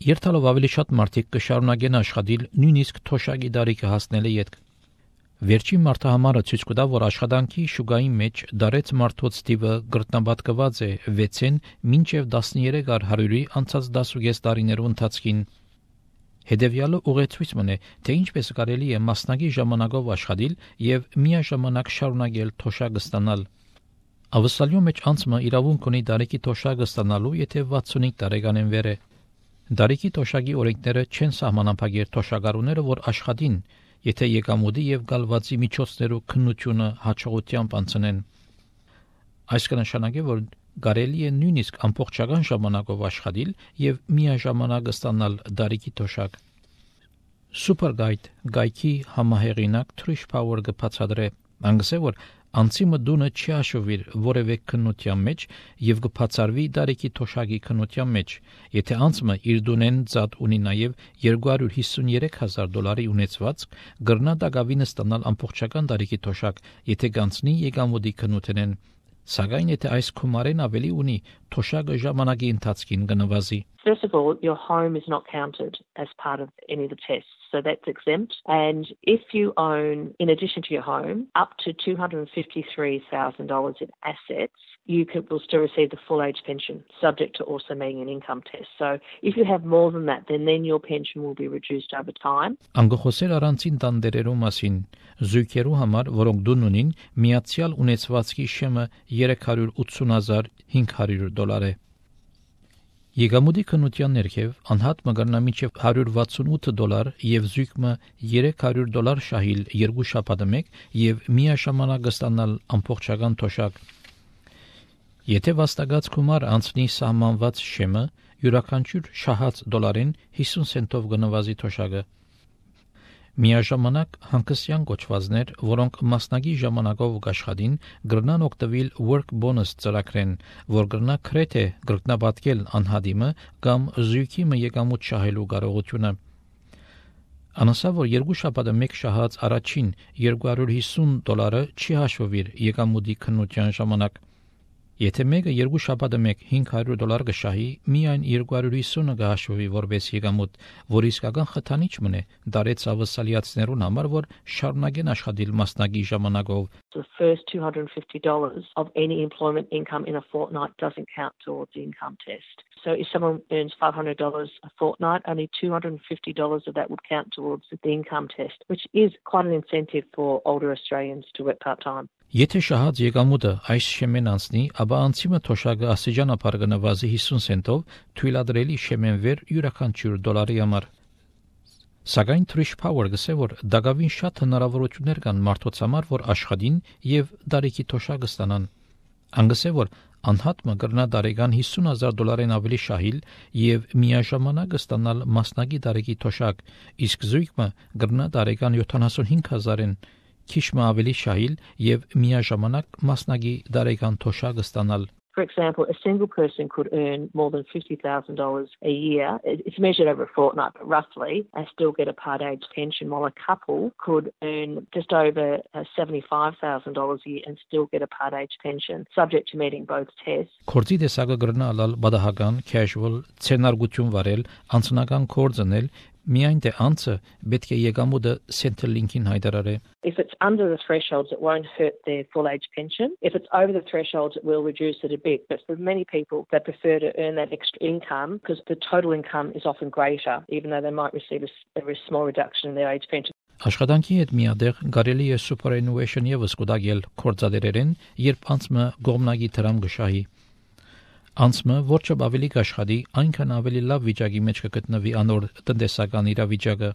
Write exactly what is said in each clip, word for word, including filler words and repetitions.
Երթալով ավելի շատ մարդիկ կշարունակեն աշխատել նույնիսկ թոշակի դարիքը հասնելը ետք։ Վերջին մարտահամարը ցույց կտա, որ աշխատանքի շուկայի մեջ դարեց մարդոց թիվը գրտնաբատկված է վեցին մինչև տասներեք հարյուրի անցած դասուգես տարիներու ընթացքին։ Հետևյալը ուղեցույց մնե, թե ինչպես կարելի է մասնակի ժամանակով աշխատել եւ միաժամանակ շարունակել թոշակը ստանալ։ Ավստրալիո մեջ անցումը իրավունք ունի դարիքի թոշակը ստանալու, եթե վաթսունհինգ տարեկանեն վեր է։ Դարիքի թոշակի օրենքները չեն սահմանափակել թոշակառուները, որ աշխատին, եթե եկամուտի եւ գալվածի միջոցներու քննությունը հաջողությամբ անցնեն։ Այս կնշանակի, որ կարելի է նույնիսկ ամբողջական ժամանակով աշխատել եւ միաժամանակ ստանալ դարիքի թոշակ։ Superguide գայքի համահեղինակ Trish Power կբացատրե, անգսե որ անցիմը դունը չի հաշվիր որևէ քննության մեջ եւ կբացարվի դարիքի թոշակի քննության մեջ, եթե անցումը իր դունեն ծած ունի նաեւ երկու հարյուր հիսունյոթ հազար դոլարի ունեցվածք, գրնա դակավինը ստանալ ամբողջական դարիքի թոշակ, եթե գանցնի եկամուտի քննութենեն, սակայն եթե այս քումարեն ավելի ունի, թոշակը ժամանակի ընթացքին կնվազի։ First of all, your home is not counted as part of any of the tests, so that's exempt. And if you own, in addition to your home, up to two hundred fifty-three thousand dollars in assets, you can, will still receive the full age pension, subject to also meeting an income test. So if you have more than that, then, then your pension will be reduced over time. Անգխոսել առանցին տանդերերու մասին, զույգերու համար, որոնք դուն ունին, միացյալ ունեցվածքի շեմը երեք հարյուր ութսուն հազար հինգ հարյուր դոլար է։ Եկամուտի քննության ներքև անհատ մգրնա մինչև հարյուր վաթսունութ դոլար եւ զույգը երեք հարյուր դոլար շահիլ երկու շաբաթը մեկ եւ միաժամանակ ստանալ ամբողջական թոշակ։ Եթե վաստակած գումար անցնի սահմանված շեմը, յուրաքանչյուր շահած դոլարին հիսուն սենտով կնվազի թոշակը։ Միաժամանակ հանգստյան կոչվածներ, որոնք մասնակի ժամանակով կաշխատին, գրնան օգտվել work bonus ծրագրեն, որ գրնա քրեթե գրտնաբատկել անհադիմը կամ զույգի եկամուտ շահելու կարողությունը։ Անասա, որ երկու շաբաթը մեկ շահած առաջին երկու հարյուր հիսուն դոլարը չի հաշվվիր եկամուտի քննության ժամանակ։ Եթե մեկը երկու շաբաթը մեկ հինգ հարյուր դոլար կշահի, միայն երկու հարյուր հիսունը կհաշվվի որպես եկամուտ, որ իսկական խթանիչ մնե դարեց ավսալիացիներուն համար, որ շարունակեն աշխատել մասնակի ժամանակով։ The first two hundred fifty dollars of any employment income in a fortnight doesn't count towards the income test. So if someone earns five hundred dollars a fortnight, only two hundred fifty dollars of that would count towards the income test, which is quite an incentive for older Australians to work part-time. Եթե շահած եկամուտը այս շեմեն անցնի, ապա անցիմը թոշակը աստիճանաբար կնվազի հիսուն սենտով, թույլատրելի շեմեն վեր յուրաքանչյուր դոլարի համար։ Սակայն Trish Power գսե, որ դակավին շատ հնարավորություններ կան մարդոց համար, որ աշխատին եւ դարիքի թոշակը ստանան։ Անգսե, որ անհատը կգրնա դարեկան հիսուն հազար դոլարին ավելի շահիլ եւ միաժամանակ ստանալ մասնակի դարիքի թոշակ, իսկ զույգը կգրնա դարեկան յոթանասունհինգ հազարին քիչ ավելի շահիլ եւ միաժամանակ մասնակի դարեկան թոշակ ստանալ։ For example, a single person could earn more than fifty thousand dollars a year. It's measured over a fortnight, but roughly, and still get a part age pension, while a couple could earn just over seventy-five thousand dollars a year and still get a part age pension, subject to meeting both tests. Կորձի տեսակը գրնա ալալ բադահական, casual, ցենարգություն վարել, անձնական կորձնել, միայն թե անցը պետք է եկամուտը Centrelink-ին հայտարարե։ If it's under the thresholds, it won't hurt their full age pension. If it's over the thresholds, it will reduce it a bit. But for many people, they prefer to earn that extra income because the total income is often greater, even though they might receive a, a very small reduction in their age pension. Աշխատանքի հետ միադեղ կարելի է superannuation եւս կուտակել կորձադերերեն, երբ անցը գոմնագի դրամ գշահի։ Անցը որչը ավելի կաշխատի, այնքան ավելի լավ վիճակի մեջ կգտնվի անոր տնտեսական իրավիճակը։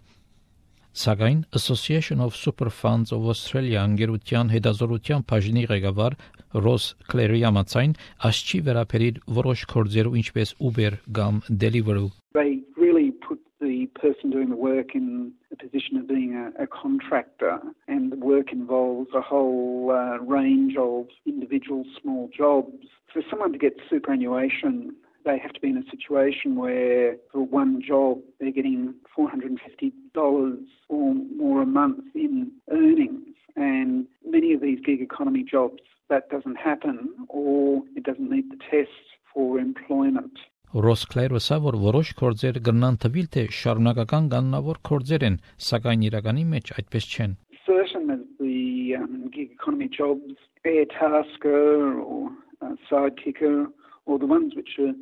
Սակայն Association of Super Funds of Australia անգերության հետազորության բաժնի ղեկավար Ross Clary ամացայն ասչի վերապերիր որոշ կորձերու ինչպես Uber կամ Deliveroo. They really put the person doing the work in a position of being a, a contractor, and the work involves a whole uh, range of individual small jobs. For someone to get superannuation, they have to be in a situation where for one job they're getting four hundred fifty dollars or more a month in earnings, and many of these gig economy jobs that doesn't happen, or it doesn't meet the tests for employment. Ռոս Քլայրոսը որ որոշ կորձեր կգնան թվիլ թե շարունակական կանոնավոր կորձեր են, սակայն իրականի մեջ այդպես չեն. Certain as the um, gig economy jobs, air tasker or uh, sidekicker, or the ones which are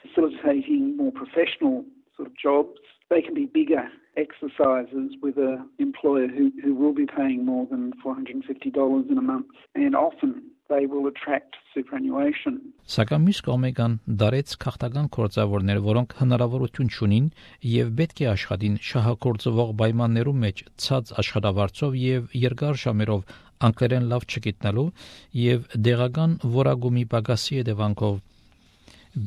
facilitating more professional sort of jobs, they can be bigger exercises with an employer who, who will be paying more than four hundred fifty dollars in a month, and often they will attract superannuation. Սակայն մյուս կողմեկան դարեց քաղաքական կորձավորներ, որոնք հնարավորություն ունին եւ պետք է աշխատին շահագործվող պայմաններում մեջ ցած աշխատավարձով եւ երկար ժամերով անգլերեն լավ չգիտնալու եւ դեղական որագումի պակասի հետևանքով.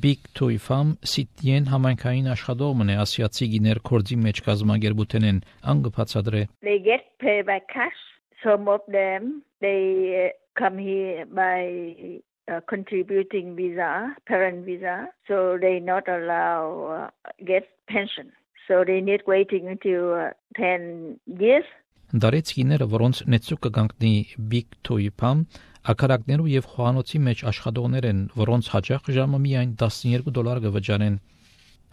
Big Toy Farm Sitien համայնքային աշխատողն է ասիացի գիներ կորձի մեջ կազմակերպութեն անգփացադրե. They get paid by cash. Some of them they come here by uh, contributing visa, parent visa, so they not allow uh, get pension. So they need waiting until uh, ten years. Դարեց գիները, որոնց նեցուկ կգանքնի Big Toy Farm, ակարակներու եւ խոհանոցի մեջ աշխատողներ են, որոնց հաջող ժամը միայն տասնյոթ դոլար կվճարեն.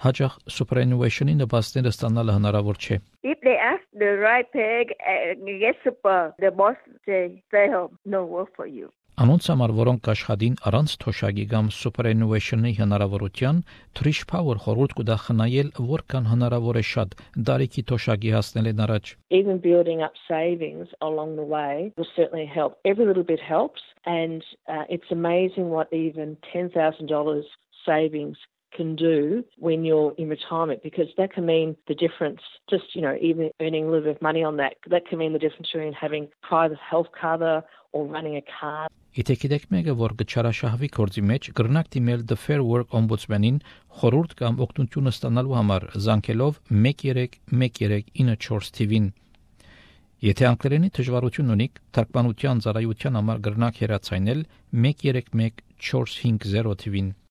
Հաջող superannuation-ի նպաստները ստանալը հնարավոր չէ. If they ask the right pay, uh, get super, the boss say, stay home, no work for you. Անոնց համար, որոնք աշխատին առանց թոշակի կամ superannuation-ի հնարավորության, Trish Power խորհուրդ կուտա խնայել որքան հնարավոր է շատ դարիքի թոշակի հասնելն առաջ. Even building up savings along the way will certainly help. Every little bit helps, and uh, it's amazing what even ten thousand dollars savings can do when you're in retirement, because that can mean the difference, just, you know, even earning a little bit of money on that, that can mean the difference between having private health cover or running a car. Իտեկիդեք մեկը, որ գչարաշահվի կորձի մեջ գրնակ դիմել The Fair Work Ombudsman-ին խորհուրդ կամ օգնություն ստանալու համար զանգելով one three one three nine four T-ին. Եթե անգլերենի դժվարություն ունիք, թարգմանության ծառայության համար գրնակ հեռացայնել one three one four five zero T-ին.